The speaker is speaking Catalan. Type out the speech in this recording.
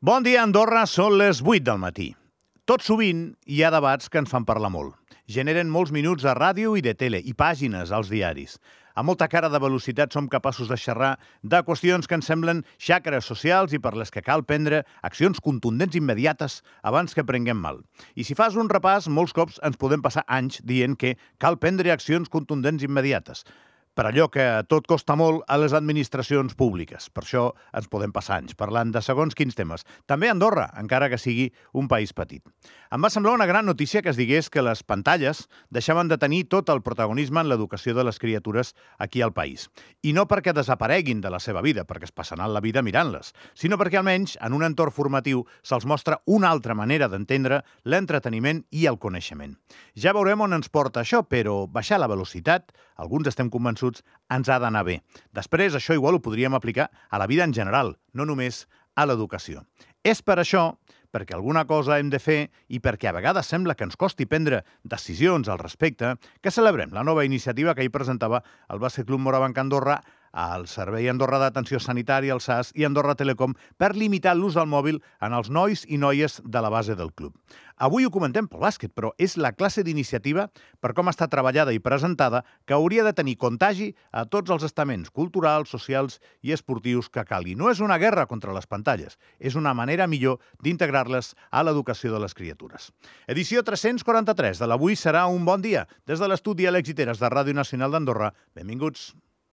Bon dia, Andorra. Són les 8 del matí. Tot sovint hi ha debats que ens fan parlar molt. Generen molts minuts de ràdio i de tele i pàgines als diaris. A molta cara de velocitat som capaços de xerrar de qüestions que ens semblen xacres socials i per les que cal prendre accions contundents immediates abans que prenguem mal. I si fas un repàs, molts cops ens podem passar anys dient que cal prendre accions contundents immediates. Per allò que tot costa molt a les administracions públiques. Per això ens podem passar anys parlant de segons quins temes. També a Andorra, encara que sigui un país petit. Em va semblar una gran notícia que es digués que les pantalles deixaven de tenir tot el protagonisme en l'educació de les criatures aquí al país. I no perquè desapareguin de la seva vida, perquè es passaran la vida mirant-les, sinó perquè almenys en un entorn formatiu se'ls mostra una altra manera d'entendre l'entreteniment i el coneixement. Ja veurem on ens porta això, però baixar la velocitat, alguns estem convençuts, ens ha d'anar bé. Després, això igual ho podríem aplicar a la vida en general, no només a l'educació. És per això, perquè alguna cosa hem de fer i perquè a vegades sembla que ens costi prendre decisions al respecte, que celebrem la nova iniciativa que ahir presentava el Bàsquet Club Morabanc Andorra, el Servei Andorra d'Atenció Sanitària, el SAS i Andorra Telecom per limitar l'ús del mòbil en els nois i noies de la base del club. Avui ho comentem pel bàsquet, però és la classe d'iniciativa, per com està treballada i presentada, que hauria de tenir contagi a tots els estaments culturals, socials i esportius que calgui. No és una guerra contra les pantalles, és una manera millor d'integrar-les a l'educació de les criatures. Edició 343 de l'Avui serà un bon dia. Des de l'estudi a l'Exiteres de Ràdio Nacional d'Andorra, benvinguts.